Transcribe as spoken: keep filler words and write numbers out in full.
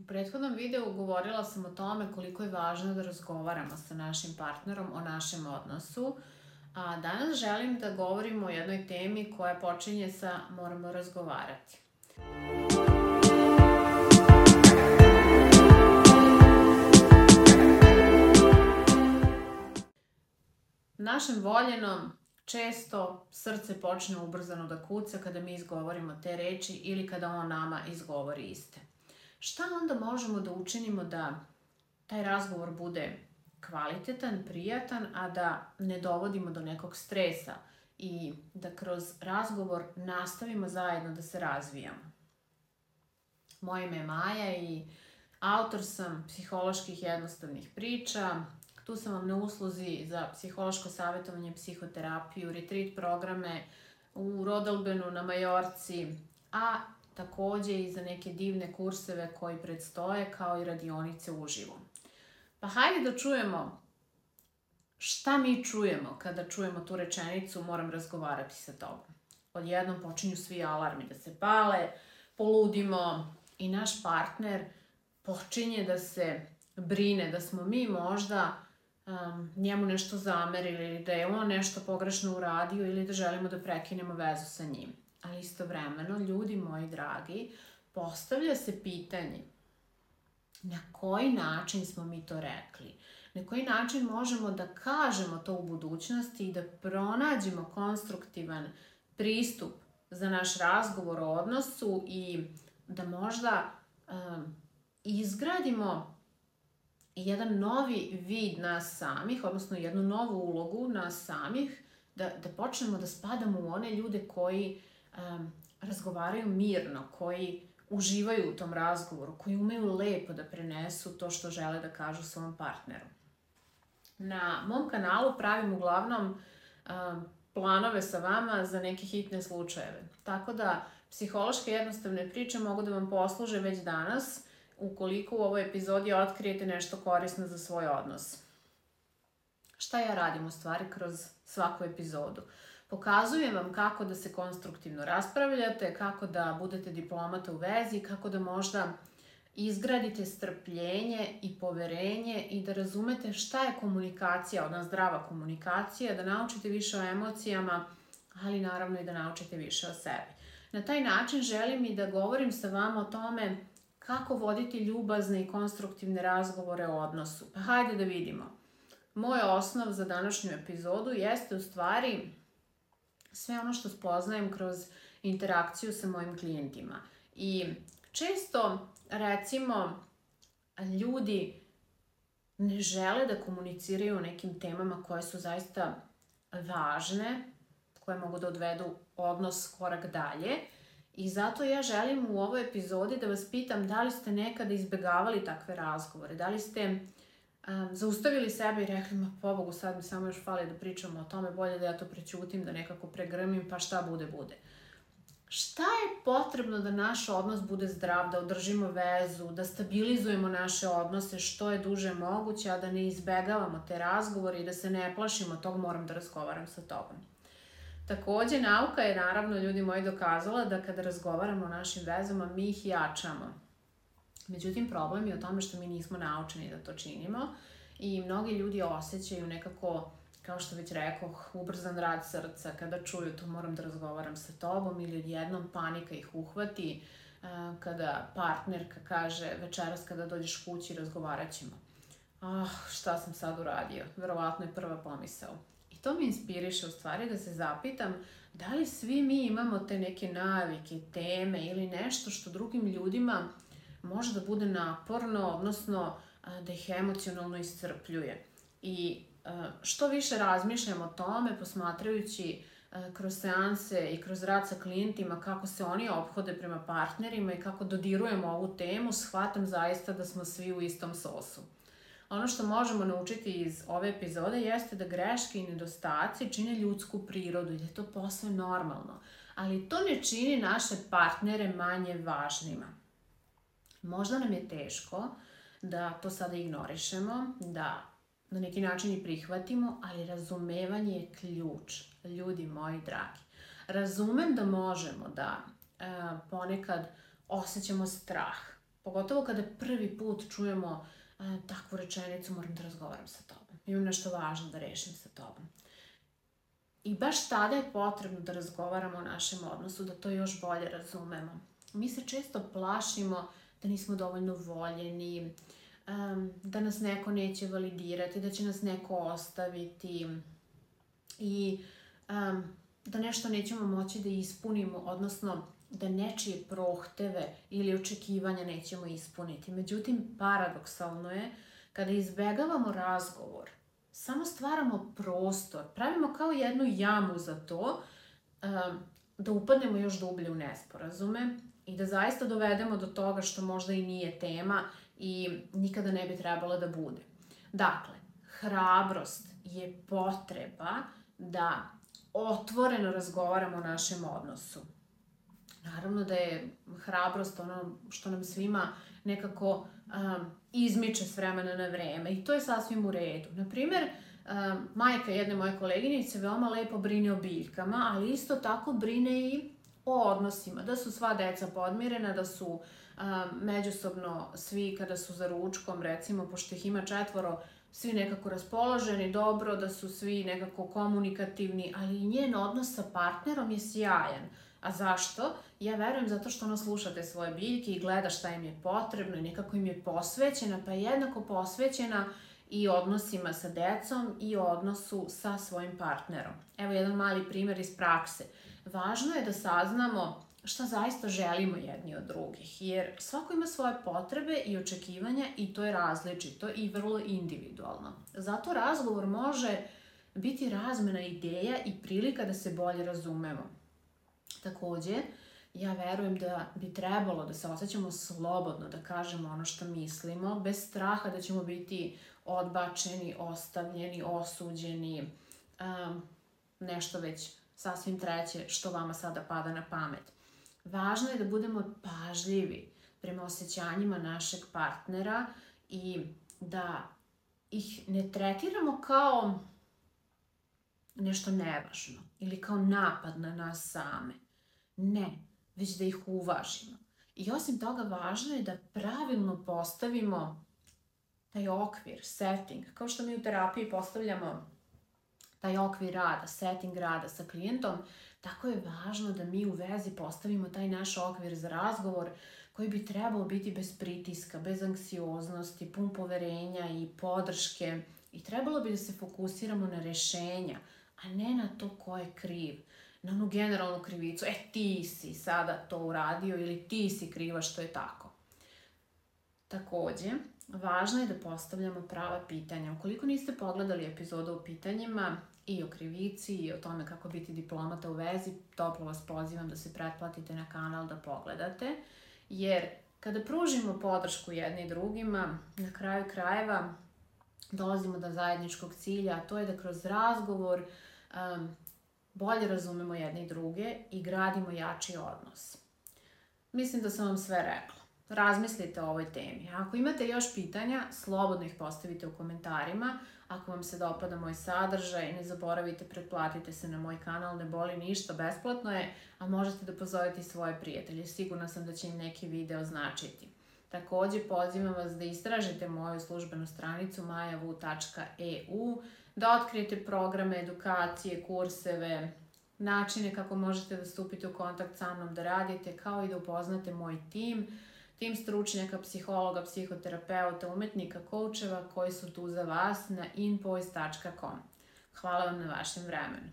U prethodnom videu govorila sam o tome koliko je važno da razgovaramo sa našim partnerom o našem odnosu, a danas želim da govorim o jednoj temi koja počinje sa moramo razgovarati. Našem voljenom često srce počne ubrzano da kuca kada mi izgovorimo te reči ili kada on nama izgovori iste. Šta onda možemo da učinimo da taj razgovor bude kvalitetan, prijatan, a da ne dovodimo do nekog stresa i da kroz razgovor nastavimo zajedno da se razvijamo? Moje ime je Maja i autor sam psiholoških jednostavnih priča. Tu sam vam na usluzi za psihološko savjetovanje, psihoterapiju, retreat programe u Rodalbenu na Majorci, a takođe i za neke divne kurseve koji predstoje, kao i radionice uživo. Pa hajde da čujemo šta mi čujemo kada čujemo tu rečenicu moram razgovarati sa tobom. Odjednom počinju svi alarmi da se pale, poludimo i naš partner počinje da se brine da smo mi možda um, njemu nešto zamerili ili da je on nešto pogrešno uradio ili da želimo da prekinemo vezu sa njim. Ali istovremeno, ljudi moji dragi, postavlja se pitanje na koji način smo mi to rekli, na koji način možemo da kažemo to u budućnosti i da pronađemo konstruktivan pristup za naš razgovor o odnosu i da možda um, izgradimo jedan novi vid nas samih, odnosno jednu novu ulogu nas samih, da, da počnemo da spadamo u one ljude koji um, razgovaraju mirno, koji uživaju u tom razgovoru, koji umeju lepo da prenesu to što žele da kažu svom partneru. Na mom kanalu pravim uglavnom um, planove sa vama za neke hitne slučajeve. Tako da psihološke jednostavne priče mogu da vam posluže već danas, ukoliko u ovoj epizodi otkrijete nešto korisno za svoj odnos. Šta ja radim u stvari kroz svaku epizodu? Pokazujem vam kako da se konstruktivno raspravljate, kako da budete diplomata u vezi, kako da možda izgradite strpljenje i poverenje i da razumete šta je komunikacija, ona zdrava komunikacija, da naučite više o emocijama, ali naravno i da naučite više o sebi. Na taj način želim i da govorim sa vama o tome kako voditi ljubazne i konstruktivne razgovore o odnosu. Pa hajde da vidimo. Moj osnov za današnju epizodu jeste u stvari sve ono što spoznajem kroz interakciju sa mojim klijentima. I često, recimo, ljudi ne žele da komuniciraju o nekim temama koje su zaista važne, koje mogu da odvedu odnos korak dalje. I zato ja želim u ovoj epizodi da vas pitam da li ste nekada izbegavali takve razgovore, da li ste um, zaustavili sebe i rekli, ma pobogu, sad mi samo još fali da pričamo o tome, bolje da ja to prećutim, da nekako pregrmim, pa šta bude, bude. Šta je potrebno da naš odnos bude zdrav, da održimo vezu, da stabilizujemo naše odnose što je duže moguće, a da ne izbegavamo te razgovore i da se ne plašimo tog moram da razgovaram sa tobom. Takođe, nauka je, naravno, ljudi moji, dokazala da kada razgovaramo o našim vezama, mi ih jačamo. Međutim, problem je u tome što mi nismo naučeni da to činimo i mnogi ljudi osjećaju nekako, kao što već rekoh, ubrzan rad srca kada čuju to moram da razgovaram sa tobom ili odjednom panika ih uhvati kada partnerka kaže večeras kada dođeš kući razgovarat ćemo. Ah, šta sam sad uradio? Verovatno je prva pomisao. To me inspiriše u stvari da se zapitam da li svi mi imamo te neke navike, teme ili nešto što drugim ljudima može da bude naporno, odnosno da ih emocionalno iscrpljuje. I što više razmišljam o tome, posmatrajući kroz seanse i kroz rad sa klijentima kako se oni ophode prema partnerima i kako dodirujemo ovu temu, shvatam zaista da smo svi u istom sosu. Ono što možemo naučiti iz ove epizode jeste da greške i nedostaci čine ljudsku prirodu i da je to posve normalno. Ali to ne čini naše partnere manje važnima. Možda nam je teško da to sada ignorišemo, da na neki način i prihvatimo, ali razumevanje je ključ, ljudi moji dragi. Razumem da možemo da e, ponekad osjećamo strah, Pogotovo kada prvi put čujemo a, takvu rečenicu, moram da razgovaram sa tobom, imam nešto važno da rešim sa tobom. I baš tada je potrebno da razgovaramo o našem odnosu, da to još bolje razumemo. Mi se često plašimo da nismo dovoljno voljeni, um, da nas neko neće validirati, da će nas neko ostaviti i um, da nešto nećemo moći da ispunimo, odnosno da nečije prohteve ili očekivanja nećemo ispuniti. Međutim, paradoksalno je kada izbegavamo razgovor, samo stvaramo prostor, pravimo kao jednu jamu za to, um, da upadnemo još dublje u nesporazume i da zaista dovedemo do toga što možda i nije tema i nikada ne bi trebalo da bude. Dakle, hrabrost je potreba da otvoreno razgovaramo o našem odnosu. Naravno da je hrabrost ono što nam svima nekako um, izmiče s vremena na vreme i to je sasvim u redu. Naprimer, um, majka jedne moje koleginice veoma lepo brine o biljkama, ali isto tako brine i o odnosima, da su sva deca podmirena, da su um, međusobno svi kada su za ručkom, recimo, pošto ih ima četvoro, svi nekako raspoloženi, dobro, da su svi nekako komunikativni, ali i njen odnos sa partnerom je sjajan. A zašto? Ja verujem zato što ona sluša te svoje biljke i gleda šta im je potrebno i nekako im je posvećena, pa je jednako posvećena i odnosima sa decom i odnosu sa svojim partnerom. Evo jedan mali primjer iz prakse. Važno je da saznamo šta zaista želimo jedni od drugih, jer svako ima svoje potrebe i očekivanja i to je različito i vrlo individualno. Zato razgovor može biti razmena ideja i prilika da se bolje razumemo. Takođe, ja verujem da bi trebalo da se osjećamo slobodno, da kažemo ono što mislimo, bez straha da ćemo biti odbačeni, ostavljeni, osuđeni, um, nešto već sasvim treće što vama sada pada na pamet. Važno je da budemo pažljivi prema osjećanjima našeg partnera i da ih ne tretiramo kao nešto nevažno ili kao napad na nas same. Ne, već da ih uvažimo. I osim toga, važno je da pravilno postavimo taj okvir, setting, kao što mi u terapiji postavljamo taj okvir rada, setting rada sa klijentom, tako je važno da mi u vezi postavimo taj naš okvir za razgovor koji bi trebao biti bez pritiska, bez anksioznosti, pun poverenja i podrške i trebalo bi da se fokusiramo na rešenja, a ne na to ko je kriv, na onu generalnu krivicu, e ti si sada to uradio ili ti si kriva što je tako. Takođe, važno je da postavljamo prava pitanja. Ukoliko niste pogledali epizodu o pitanjima i o krivici i o tome kako biti diplomata u vezi, toplo vas pozivam da se pretplatite na kanal da pogledate, jer kada pružimo podršku jedni drugima, na kraju krajeva dolazimo do zajedničkog cilja, a to je da kroz razgovor um, bolje razumemo jedni druge i gradimo jači odnos. Mislim da sam vam sve rekla. Razmislite o ovoj temi. Ako imate još pitanja, slobodno ih postavite u komentarima. Ako vam se dopada moj sadržaj, ne zaboravite, pretplatite se na moj kanal, ne boli ništa, besplatno je, a možete da pozovete i svoje prijatelje. Sigurna sam da će im neki video značiti. Takođe, pozivam vas da istražite moju službenu stranicu majavu tačka e u, da otkrijete programe, edukacije, kurseve, načine kako možete da stupite u kontakt sa mnom da radite, kao i da upoznate moj tim, tim stručnjaka, psihologa, psihoterapeuta, umetnika, koučeva koji su tu za vas na inpoise tačka com. Hvala vam na vašem vremenu.